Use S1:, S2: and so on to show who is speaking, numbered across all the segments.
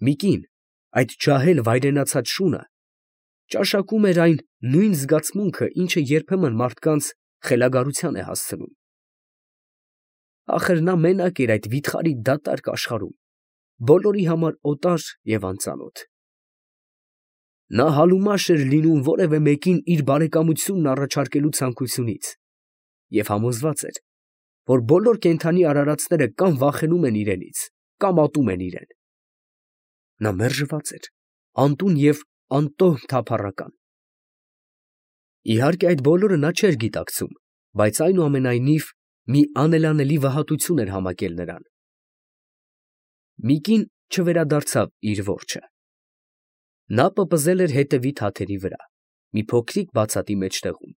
S1: մի կին, այդ ջահել վայրենացած շունը, ճաշակում էր այն նույն զգացմունքը, ինչը երբեմն մարդկանց խելագարության է հասցնում։ Ախր նա մենակ էր այդ վիթխարի դատարկ աշխարհում, բոլորի համար օտար և անծանոթ։ Նա համեմաշ էր լինում որևէ մեկին իր բարեկամությունն առաջարկելու ցանկությունից և համոզված էր, որ բոլոր կենդանի արարածները կամ վախենում են իրենից, կամ ատում են իրան։ Նա մերժված էր, անտուն և անտոհ թափառական։ Իհարկե այդ բոլորը նա չէր գիտակցում, բայց այնուամենայնիվ մի անելանելի վհատություն էր համակել նրան։ Մի կին չվերադարձավ իր որջը։ Նա պպզել էր հետևի թաթերի վրա, մի փոքրիկ բացատի մեջտեղում,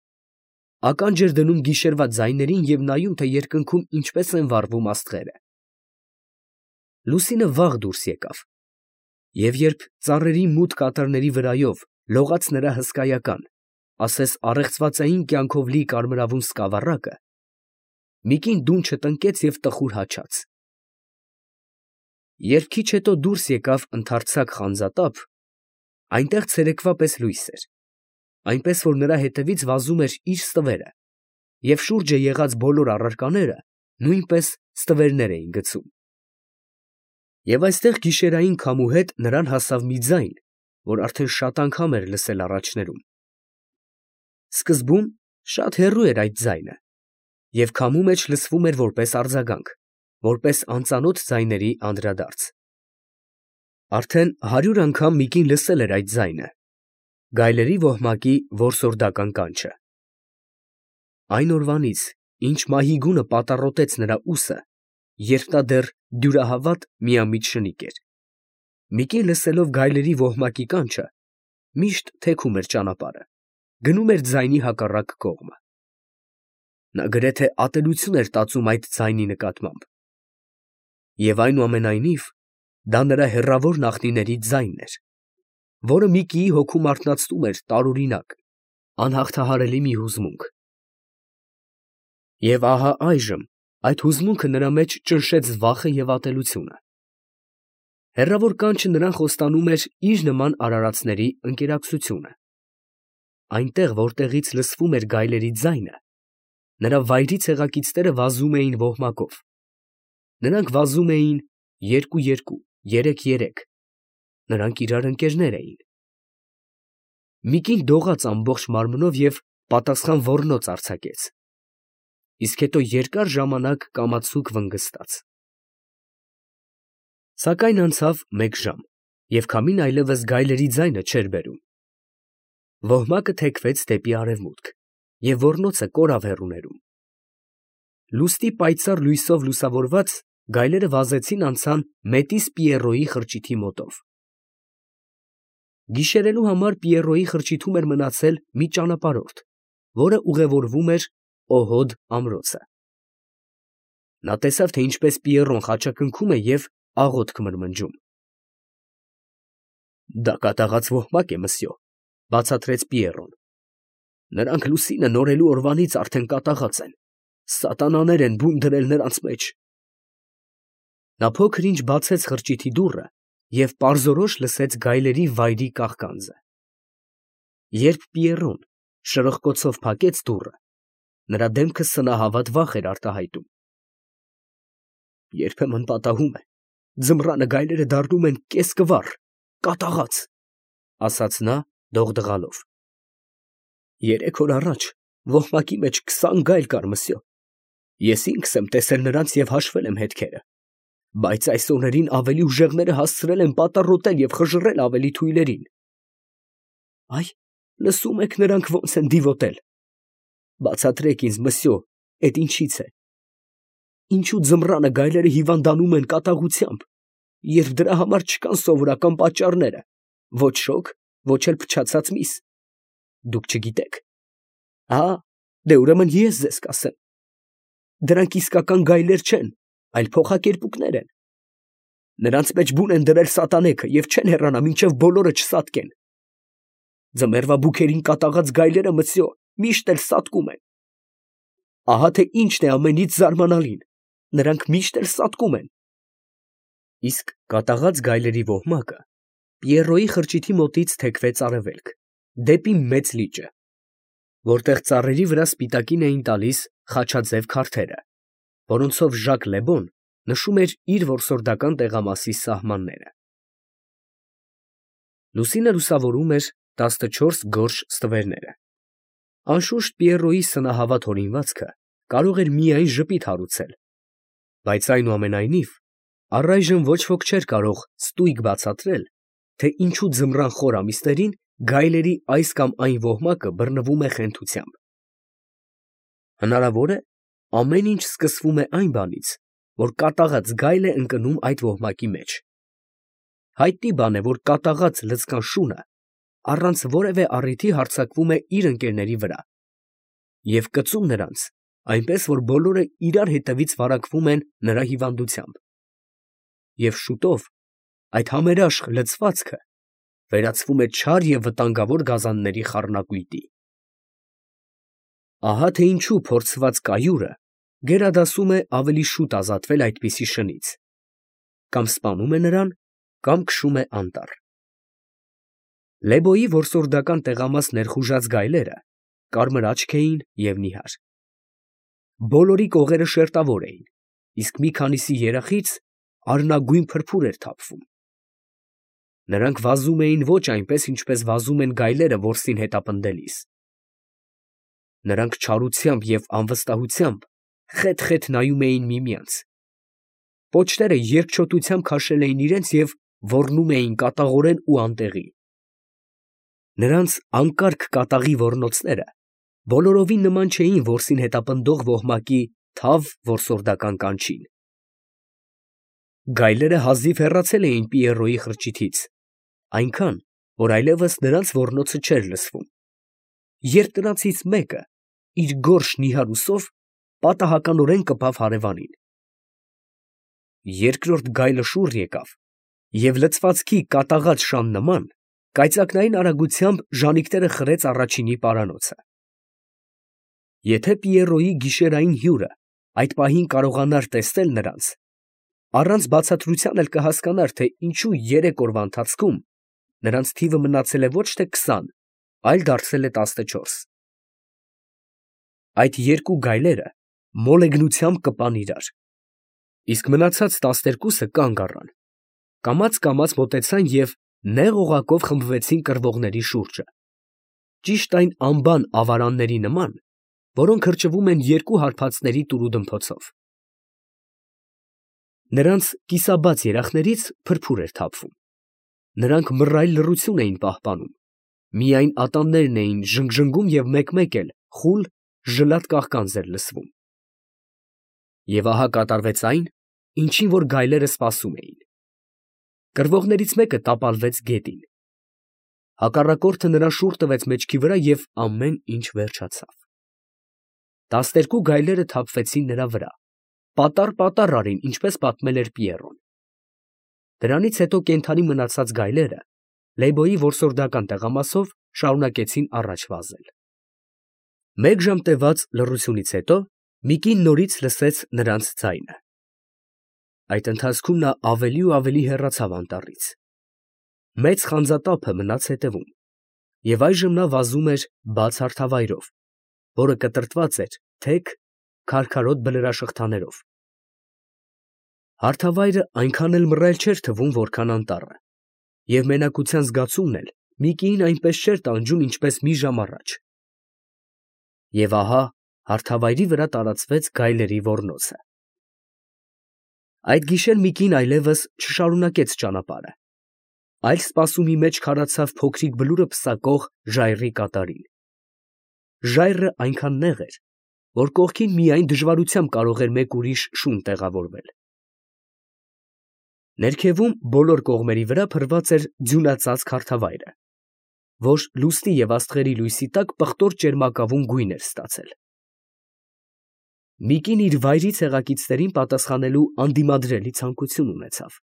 S1: ականջ էր դնում գիշերվա ձայներին և նայում, թե երկնքում ինչպես են վառվում աստղերը։ Լուսինը վաղ դուրս եկավ, և երբ ծառերի մութ կատարների վրայով լողաց նրա հսկայական, ասես առեղծվածային կյանքով լի կարմրավուն սկավառակը, մի կին դուն չտնկեց և տխուր հաչաց։ Երբ քիչ հետո դուրս եկավ ընդարձակ խանձատափ, այնտեղ ցերեկվա պես լույս էր, այնպես որ նրա հետևից վազում էր իր ստվերը, և շուրջը եղած բոլոր առարկաները նույնպես ստվերներ էին գցում։ Եվ այստեղ գիշերային քամու հետ նրան հասավ մի ձայն, որ արդեն շատ անգամ էր լսել առաջներում։ Սկզբում շատ հեռու էր այդ ձայնը, և քամու մեջ լսվում էր որպես արձագանք, որպես անծանոթ ձայների անդրադարձ։ Արդեն 100 անգամ մի կին լսել էր այդ ձայնը, գայլերի ոհմակի որսորդական կանչը։ Այն օրվանից, ինչ մահիգունը պատառոտեց նրա ուսը, երբ նա դեռ դյուրահավատ միամիտ շնիկ էր, մի կին լսելով գայլերի ոհմակի կանչը, միշտ թեքում էր ճանապարհը, գնում էր ձայնի հակառակ կողմը։ Նա գրեթե ատելություն էր տածում այդ ձայնի նկատմամբ, և այնուամենայնիվ դա նրա հեռավոր նախնիների ձայնն էր, որը մի կիի հոգում արթնացնում էր տարօրինակ, անհաղթահարելի մի հուզմունք։ Եվ ահա այժմ այդ հուզմունքը նրա մեջ ճնշեց վախը և ատելությունը։ Հեռավոր կանչը նրան խոստանում էր իր նման արարածների ընկերակցությունը։ Այնտեղ, որտեղից լսվում էր գայլերի ձայնը, նրա վայրի ցեղակիցները վազում էին ոհմակով։ Նրանք վազում էին 2-2, 3-3. նրանք իրար ընկերներ էին։ Մի կին դողաց ամբողջ մարմնով և պատասխան ոռնոց արձակեց, իսկ հետո երկար ժամանակ կամացուկ վնգստաց։ Սակայն անցավ մեկ ժամ, և քամին այլևս գայլերի ձայնը չէր բերում։ Ոհմակը թեքվեց դեպի արևմուտք, և ոռնոցը կորավ հեռուներում։ Լուստի պայծառ լույսով լուսավորված գայլերը վազեցին անցան Մետիս Պիեռոյի խրճիթի մոտով։ Գիշերելու համար Պիեռոյի խրճիթում էր մնացել մի ճանապարհորդ, որը ուղևորվում էր Օհոդ ամրոցը։ Նա տեսավ, թե ինչպես Պիեռոն խաչակնքում է և աղոթք մրմնջում։ «Դա կատաղած ոհմակ է, մսյո, ֊ բացատրեց Պիեռոն. ֊ նրանք լուսինը նորելու օրվանից արդեն կատաղած են, սատանաներ են բուն դրել նրանց մեջ»։ Նա փոքր ինչ բացեց խրճիթի դուռը և պարզորոշ լսեց գայլերի վայրի կաղկանձը։ Երբ Պիեռոն շրխկոցով փակեց դուռը, նրա դեմքը սնահավատ վախ էր արտահայտում։ «Երբեմն պատահում է, ձմռանը գայլերը դառնում են կեսկվառ, կատաղած», ֊ ասաց նա դողդղալով։ «3 օր առաջ ոհմակի մեջ 20 գայլ կար, մսյո. ես ինքս եմ տեսել նրանց և հաշվել եմ հետքերը, բայց այս օրերին ավելի ուժեղները հասցրել են պատառոտել և խժռել ավելի թույլերին»։ «Այ, լսո՞ւմ եք նրանք ոնց են դիվոտել. բացատրեք ինձ, մսյո, էդ ինչի՞ց է. ինչո՞ւ ձմռանը գայլերը հիվանդանում են կատաղությամբ, երբ դրա համար չկան սովորական պատճառները, ոչ շոգ, ոչ էլ փչացած միս։ Դուք չգիտեք։ Դե ուրեմն ես ձեզ կասեմ. դրանք իսկական գայլեր չեն, այլ փոխակերպուկներ են։ Նրանց մեջ բուն են դրել սատանեքը և չեն հեռանա, մինչև բոլորը չսատկեն։ Ձմեռվա բուքերին կատաղած գայլերը, մսյո, միշտ էլ սատկում են։ Ահա թե ինչն է ամենից զարմանալին. նրանք միշտ էլ սատկում են։ Իսկ կատաղած գայլերի ոհմակը Պիերոյի խրճիթի մոտից թեքվեց արևելք, դեպի մեծ լիճը, որտեղ ծառերի վրա սպիտակին էին տալիս խաչաձև քարթերը, որոնցով Ժակ Լեբոն նշում էր իր որսորդական տեղամասի սահմանները։ Լուսինը լուսավորում էր 14 գորշ ստվերները։ Անշուշտ Պիերոյի սնահավատ հորինվածքը կարող էր միայն ժպիտ հարուցել, բայց այնուամենայնիվ առայժմ ոչ ոք չէր կարող ստույգ բացատրել, թե ինչու ձմռան խոր ամիսներին գայլերի այս կամ այն ոհմակը բռնվում է խենթությամբ։ Հնարավոր է, ամեն ինչ սկսվում է այն բանից, որ կատաղած գայլ է ընկնում այդ ոհմակի մեջ։ Հայտնի բան է, որ կատաղած լցկան շունը առանց որևէ առիթի հարձակվում է իր ընկերների վրա և կծում նրանց, այնպես որ բոլորը իրար հետևից վարակվում են նրա հիվանդությամբ։ Եվ շուտով այդ համերաշխ լցվածքը վերածվում է չար և վտանգավոր գազանների խառնակույտի։ Ահա թե ինչու փորձված կայուրը գերադասում է ավելի շուտ ազատվել այդպիսի շնից, կամ սպանում է նրան, կամ քշում է անտառ։ Լեբոյի որսորդական տեղամաս ներխուժած գայլերը կարմր աչք էին և նիհար։ Բոլորի կողերը շերտավոր էին, իսկ մի քանիսի երախից արնագույն փրփուր էր թափվում։ Նրանք վազում էին ոչ այնպես, ինչպես վազում են գայլերը որսին հետապնդելիս։ Նրանք չարությամբ և անվստահությամբ խետ֊խետ նայում էին միմյանց։ Պոչները երկչոտությամբ քաշել էին իրենց և ոռնում էին կատաղորեն ու անտեղի։ Նրանց անկարգ կատաղի ոռնոցները բոլորովին նման չէին որսին հետապնդող ոհմակի թավ որսորդական կանչին։ Գայլերը հազիվ հեռացել էին Պիերոյի խրճիթից, այնքան, որ այլևս նրանց ոռնոցը չէր լսվում, երբ նրանցից մեկը իր գորշ նիհար ուսով պատահականորեն կպավ հարևանին։ Երկրորդ գայլը շուռ եկավ և լցվածքի կատաղած շան նման կայծակնային արագությամբ ժանիքները խրեց առաջինի պարանոցը։ Եթե Պիերոյի գիշերային հյուրը այդ պահին կարողանար տեսնել նրանց, առանց բացատրության էլ կհասկանար, թե ինչու 3 օրվա ընթացքում նրանց թիվը մնացել է ոչ թե 20, այլ դարձել է 14։ Այդ երկու գայլերը մոլեգնությամբ կպան իրար, իսկ մնացած 12-ը կանգ առան, կամաց մոտեցան և նեղ օղակով խմբվեցին կռվողների շուրջը, ճիշտ այն անբան ավարանների նման, որոնք հրճվում են երկու հարբածների տուրուդմփոցով։ Նրանց կիսաբաց երախներից փրփուր էր թափվում։ Նրանք մռայլ լռություն էին պահպանում, միայն ատամներն էին ժնգժնգում և մեկ-մեկ էլ խուլ ժլատ կաղկանձ էր լսվում։ Եվ ահա կատարվեց այն, ինչին որ գայլերը սպասում էին։ Կռվողներից մեկը տապալվեց գետին։ Հակառակորդը նրան շուռ տվեց մեջքի վրա և ամեն ինչ վերջացավ։ 12 գայլերը թափվեցին նրա վրա, պատառ արին, ինչպես պատմել էր Պիերոն։ Դրանից հետո կենդանի մնացած գայլերը Լեբոյի որսորդական տեղամասով շարունակեցին առաջ վազել։ Մեկ ժամ տևած լռությունից հետո մի կին նորից լսեց նրանց ձայնը։ Այդ ընթացքում նա ավելի ու ավելի հեռացավ անտառից։ Մեծ խանձատափը մնաց հետևում, և այժմ նա վազում էր բաց հարթավայրով, որը կտրտված էր թեք, քարքարոտ բլրաշղթաներով։ Հարթավայրը այնքան էլ մռայլ չէր թվում, որքան անտառը, և մենակության զգացումն էլ մի կիին այնպես չէր տանջում, ինչպես մի ժամ առաջ։ Եվ ահա հարթավայրի վրա տարածվեց գայլերի ոռնոցը։ Այդ գիշեր մի կին այլևս չշարունակեց ճանապարհը, այլ սպասումի մեջ քարացավ փոքրիկ բլուրը պսակող ժայռի կատարին։ Ժայռը այնքան նեղ էր, որ կողքին միայն դժվարությամբ կարող էր մեկ ուրիշ շուն տեղավորվել։ Ներքևում բոլոր կողմերի վրա փռված էր ձյունածածկ հարթավայրը, որ լուսնի և աստղերի լույսի տակ պղտոր ճերմակավուն գույն էր ստացել։ Մի կին իր վայրի ցեղակիցներին պատասխանելու անդիմադրելի ցանկություն ունեցավ։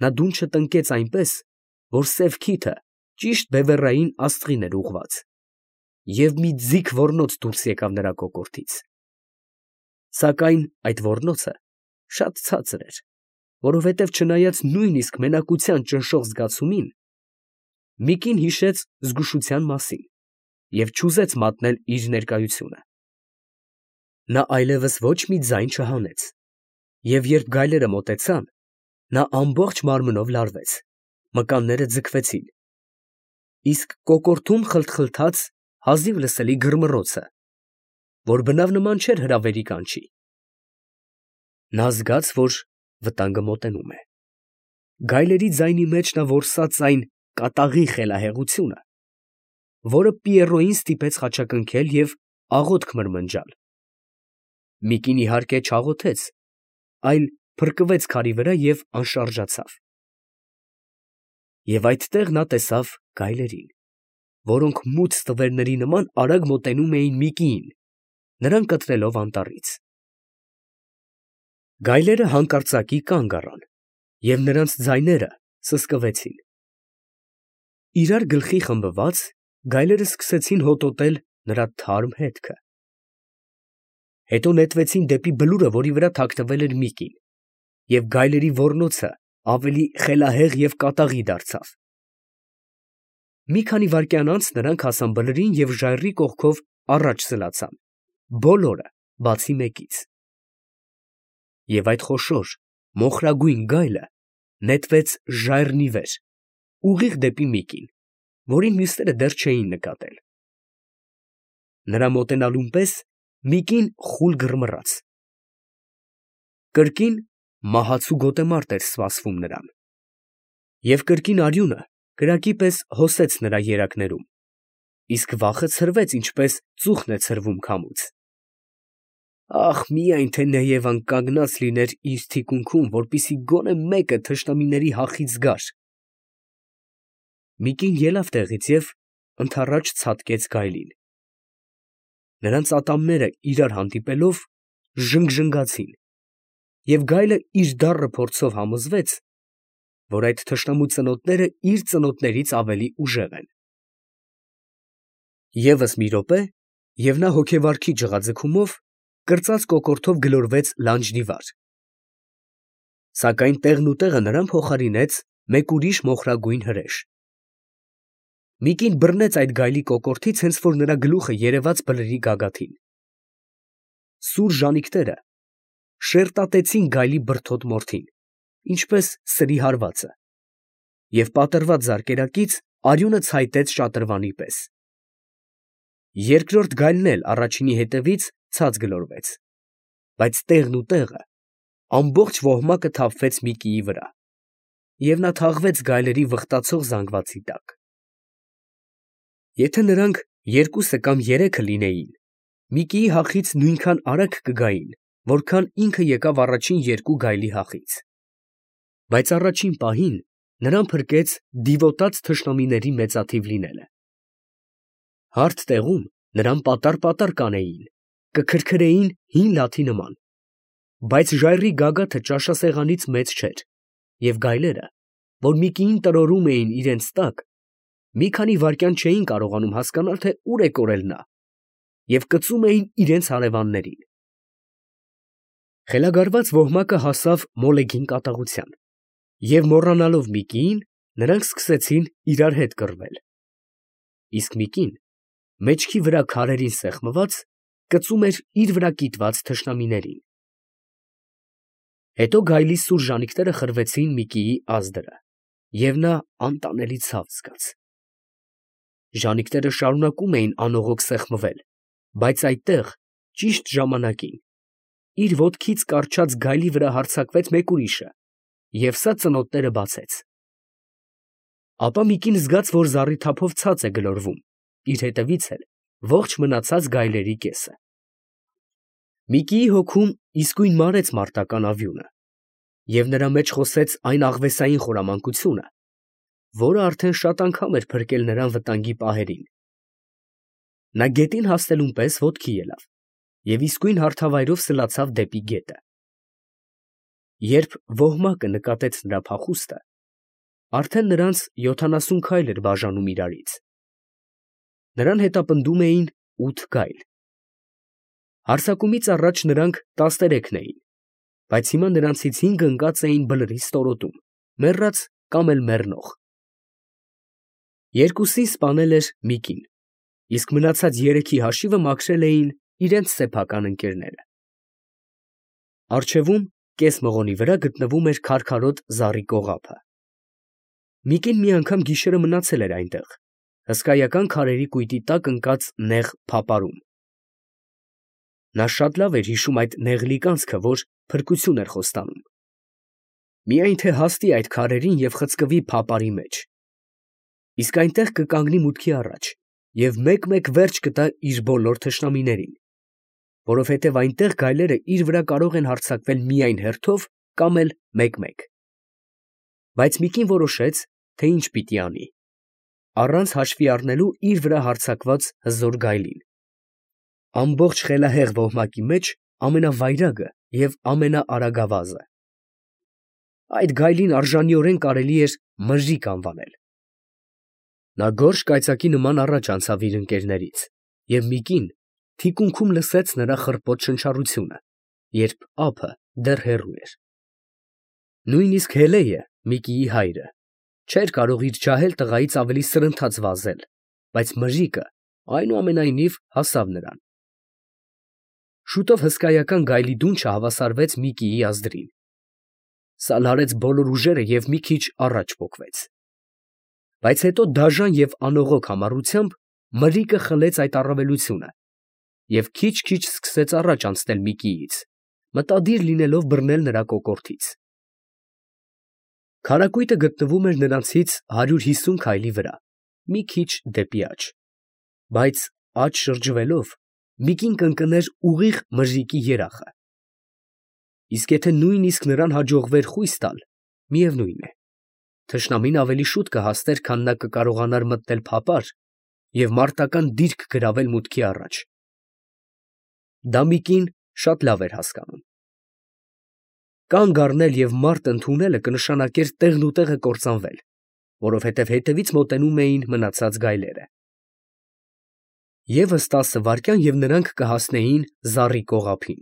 S1: Նա դունչը տնկեց այնպես, որ սև քիթը ճիշտ բևեռային աստղին էր ուղղված, և մի ձիգ ոռնոց դուրս եկավ նրա կոկորդից։ Սակայն այդ ոռնոցը շատ ցածր էր, որովհետև չնայած նույնիսկ մենակության ճնշող զգացումին, Միկին հիշեց զգուշության մասին և չուզեց մատնել իր ներկայությունը։ Նա այլևս ոչ մի ձայն չհանեց, և երբ գայլերը մոտեցան, նա ամբողջ մարմնով լարվեց, մկանները ձգվեցին, իսկ կոկորդում խլթխլթաց հազիվ լսելի գրմռոցը, որ բնավ նման չէր հրավերի կանչի։ Նա զգաց, որ վտանգը մոտենում է։ Գայլերի ձայնի մեջ նա որսաց այն կատաղի խելահեղությունը, որը Պիեռոյին ստիպեց խաչակնքել և աղոթք մրմնջալ։ Միկին իհարկե չաղոթեց, այլ փրկվեց քարի վրա և անշարժացավ։ Եվ այդտեղ նա տեսավ գայլերին, որոնք մութ ստվերների նման արագ մոտենում էին Միկիին, նրան կտրելով անտառից։ Գայլերը հանկարծակի կանգ առան, և նրանց ձայները սսկվեցին։ Իրար գլխի խմբված, գայլերը սկսեցին հոտոտել նրա թարմ հետքը։ Հետո նետվեցին դեպի բլուրը, որի վրա թաքնվել էր Միկին, և գայլերի ոռնոցը ավելի խելահեղ և կատաղի դարձավ։ Մի քանի վայրկյան անց նրանք հասան բլրին և ժայռի կողքով առաջ սլացան, բոլորը, բացի մեկից։ Եվ այդ խոշոր մոխրագույն գայլը նետվեց ժայռն ի վեր, ուղիղ դեպի Միկին, որին մյուսները դեռ չէին նկատել։ Նրա մոտենալուն պես Միկին խուլ գրմռաց։ Կրկին մահացու գոտեմարտ էր սպասվում նրան, և կրկին արյունը կրակի պես հոսեց նրա երակներում, իսկ վախը ցրվեց, ինչպես ծուխն է ցրվում քամուց։ Ախ, միայն թե Նեևան կանգնած լիներ իր թիկունքում, որպեսզի գոնե մեկը թշնամիների հախից գար։ Միկին ելավ տեղից և ընդառաջ ցատկեց գայլին։ Նրանց ատամները իրար հանդիպելով ժնգժնգացին, և գայլը իր դառը փորձով համոզվեց, որ այդ թշնամու ծնոտները իր ծնոտներից ավելի ուժեղ են։ Եվս մի րոպե, և նա հոգեվարքի ջղաձգումով կրծած կոկորդով գլորվեց լանջն ի վար։ Սակայն տեղնուտեղը նրան փոխարինեց մեկ ուրիշ մոխրագույն հրեշ։ Միկին բռնեց այդ գայլի կոկորդից, հենց որ նրա գլուխը երևաց բլրի գագաթին։ Սուր ժանիքները շերտատեցին գայլի բրդոտ մորթին, ինչպես սրի հարվածը, և պատռված զարկերակից արյունը ցայտեց շատրվանի պես։ Երկրորդ գայլն էլ առաջինի հետևից ցած գլորվեց, բայց տեղնուտեղը ամբողջ ոհմակը թափվեց Միկիի վրա, և նա թաղվեց գայլերի վխտացող զանգվածի տակ։ Եթե նրանք երկուսը կամ երեքը լինեին, Միկիի հախից նույնքան արագ կգային, որքան ինքը եկավ առաջին երկու գայլի հախից։ Բայց առաջին պահին նրան փրկեց դիվոտած թշնամիների մեծաթիվ լինելը։ Հարթ տեղում նրան պատառ կանեին, կքրքրեին հին լաթի նման, բայց ժայռի գագաթը ճաշասեղանից մեծ չէր, և գայլերը, որ Միկիին տրորում էին իրենց տակ, մի քանի վայրկյան չէին կարողանում հասկանալ, թե ուր է կորել նա, և կծում էին իրենց հարևաններին։ Խելագարված ոհմակը հասավ մոլեգին կատաղության, և մոռանալով Միկիին, նրանք սկսեցին իրար հետ կռվել։ Իսկ Միկին, մեջքի վրա քարերին սեղմված, կծում էր իր վրա կիտված թշնամիներին։ Հետո գայլի սուր ժանիքները խրվեցին Միկիի ազդրը, և նա անտանելի ցավ զգաց։ Ժանիքները շարունակում էին անողոք սեղմվել, բայց այդտեղ, ճիշտ ժամանակին, իր ոտքից կառչած գայլի վրա հարձակվեց մեկ ուրիշը, և սա ծնոտները բացեց։ Ապա Միկին զգաց, որ զառիթափով ցած է գլորվում, իր հետևից էլ ողջ մնացած գայլերի կեսը։ Միկիի հոգում իսկույն մարեց մարտական ավյունը, և նրա մեջ խոսեց այն աղվեսային խորամանկությունը, որը արդեն շատ անգամ էր փրկել նրան վտանգի պահերին։ Նա գետին հասնելուն պես ոտքի ելավ և իսկույն հարթավայրով սլացավ դեպի գետը։ Երբ ոհմակը նկատեց նրա փախուստը, արդեն նրանց 70 քայլ էր բաժանում իրարից։ Նրան հետապնդում էին 8 գայլ։ Հարձակումից առաջ նրանք 13 էին, բայց հիմա նրանցից 5 ընկած էին բլրի ստորոտում, մեռած կամ էլ մեռնող։ Երկուսին սպանել էր մի կին, իսկ մնացած 3-ի հաշիվը մաքրել էին իրենց սեփական ընկերները։ Առջևում, կես մղոնի վրա գտնվում էր քարքարոտ զառի կողափը։ Միկին մի անգամ գիշերը մնացել էր այնտեղ, հսկայական քարերի կույտի տակ ընկած նեղ փապարում։ Նա շատ լավ էր հիշում այդ նեղլիկ անցքը, որ փրկություն էր խոստանում։ Միայն թե հասնի այդ քարերին և խցկվի փապարի մեջ։ Իսկ այնտեղ կկանգնի մուտքի առաջ և մեկ-մեկ վերջ կտա իր բոլոր թշնամիներին, որովհետև այնտեղ գայլերը իր վրա կարող են հարձակվել միայն հերթով կամ էլ մեկ֊մեկ։ Բայց Միկին որոշեց, թե ինչ պիտի անի, առանց հաշվի առնելու իր վրա հարձակված հզոր գայլին։ Ամբողջ խելահեղ ոհմակի մեջ ամենավայրագը և ամենաարագավազը։ Այդ գայլին արժանիորեն կարելի էր մրրիկ անվանել։ Նա գորշ կայծակի նման առաջ անցավ իր ընկերներից, և Միկին թիկունքում լսեց նրա խռպոտ շնչառությունը, երբ ափը դեռ հեռու էր։ Նույնիսկ Հելեյը, Միկիի հայրը, չէր կարող իր ջահել տղայից ավելի սրընթաց վազել, բայց մրրիկը այնուամենայնիվ հասավ նրան։ Շուտով հսկայական գայլի դունչը հավասարվեց Միկիի ազդրին։ Սալարեց բոլոր ուժերը և մի քիչ առաջ պոկվեց։ Բայց հետո դաժան և անողոք համառությամբ մրրիկը խլեց այդ առավելությունը և քիչ֊քիչ սկսեց առաջ անցնել Միկիից, մտադիր լինելով բռնել նրա կոկորդից։ Քարակույտը գտնվում էր նրանցից 150 քայլի վրա, մի քիչ դեպի աջ, բայց աջ շրջվելով Միկին կընկներ ուղիղ մրրիկի երախը։ Իսկ եթե նույնիսկ նրան հաջողվեր խույս տալ, միևնույն է, թշնամին ավելի շուտ կհասներ, քան նա կկարողանար մտնել փապար և մարտական դիրք գրավել մուտքի առաջ։ Դա Միկին շատ լավ էր հասկանում։ Կանգ առնել և մարտ ընդունելը կնշանակեր տեղնուտեղը կործանվել, որովհետև հետևից մոտենում էին մնացած գայլերը։ Եվս 10 վայրկյան և նրանք կհասնեին զառի կողափին։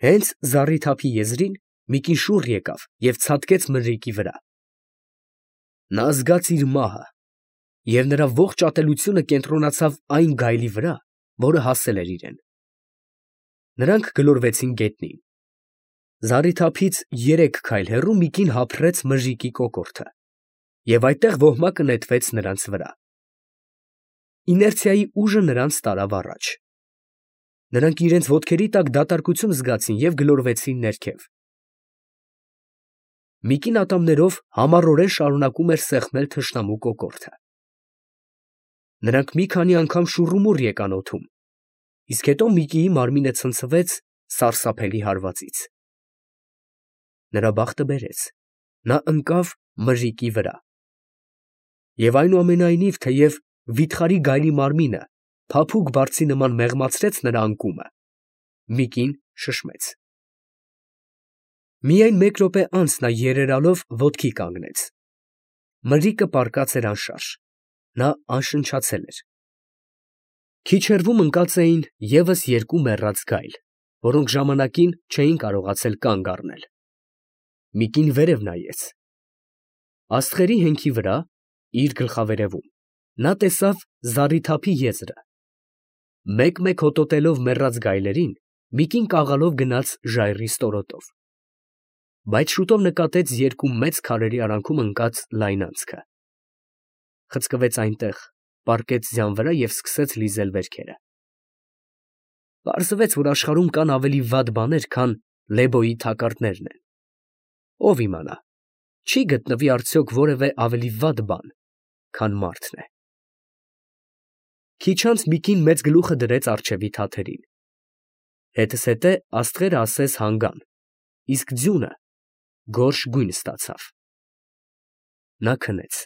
S1: Հենց զառիթափի եզրին Միկին շուռ եկավ և ցատկեց մրրիկի վրա։ Նա զգաց իր մահը, և նրա ողջ ատելությունը կենտրոնացավ այն գայլի վրա, որը հասել էր իրեն։ Նրանք գլորվեցին գետնին։ Զառիթափից 3 քայլ հեռու Միկին հափռեց մրրիկի կոկորդը, և այդտեղ ոհմակը նետվեց նրանց վրա։ Իներցիայի ուժը նրանց տարավ առաջ։ Նրանք իրենց ոտքերի տակ դատարկություն զգացին և գլորվեցին ներքև։ Միկին ատամներով համառորեն շարունակում էր սեղմել թշնամու կոկորդը։ Նրանք մի քանի անգամ շուռումուռ եկան օդում, իսկ հետո Միկիի մարմինը ցնցվեց սարսափելի հարվածից։ Նրա բախտը բերեց, նա ընկավ մրրիկի վրա։ Եվ այնուամենայնիվ, թեև վիթխարի գայլի մարմինը փափուկ բարձի նման մեղմացրեց նրա անկումը, Միկին շշմեց։ Միայն մեկ րոպե անց նա երերալով ոտքի կանգնեց։ Մրրիկը պառկած էր անշարժ, նա անշնչացել էր։ Քիչ հեռվում ընկած էին ևս 2 մեռած գայլ, որոնք ժամանակին չէին կարողացել կանգ առնել։ Միկին վերև նայեց։ Աստղերի հենքի վրա, իր գլխավերևում, նա տեսավ զառիթափի եզրը։ Մեկ֊մեկ հոտոտելով մեռած գայլերին, Միկին կաղալով գնաց ժայռի ստորոտով։ Բայց շուտով նկատեց 2 մեծ քարերի արանքում ընկած լայն անցքը։ Խցկվեց այնտեղ, պառկեց ձյան վրա և սկսեց լիզել վերքերը։ Պարզվեց, որ աշխարհում կան ավելի վատ բաներ, քան Լեբոյի թակարդներն են։ Ո՞վ իմանա, չի գտնվի արդյոք որևէ ավելի վատ բան, քան մարդն է։ Քիչ անց Միկին մեծ գլուխը դրեց առջևի թաթերին։ Հետզհետե աստղերը ասես հանգան, իսկ ձյունը գորշ գույն ստացավ։ Նա քնեց։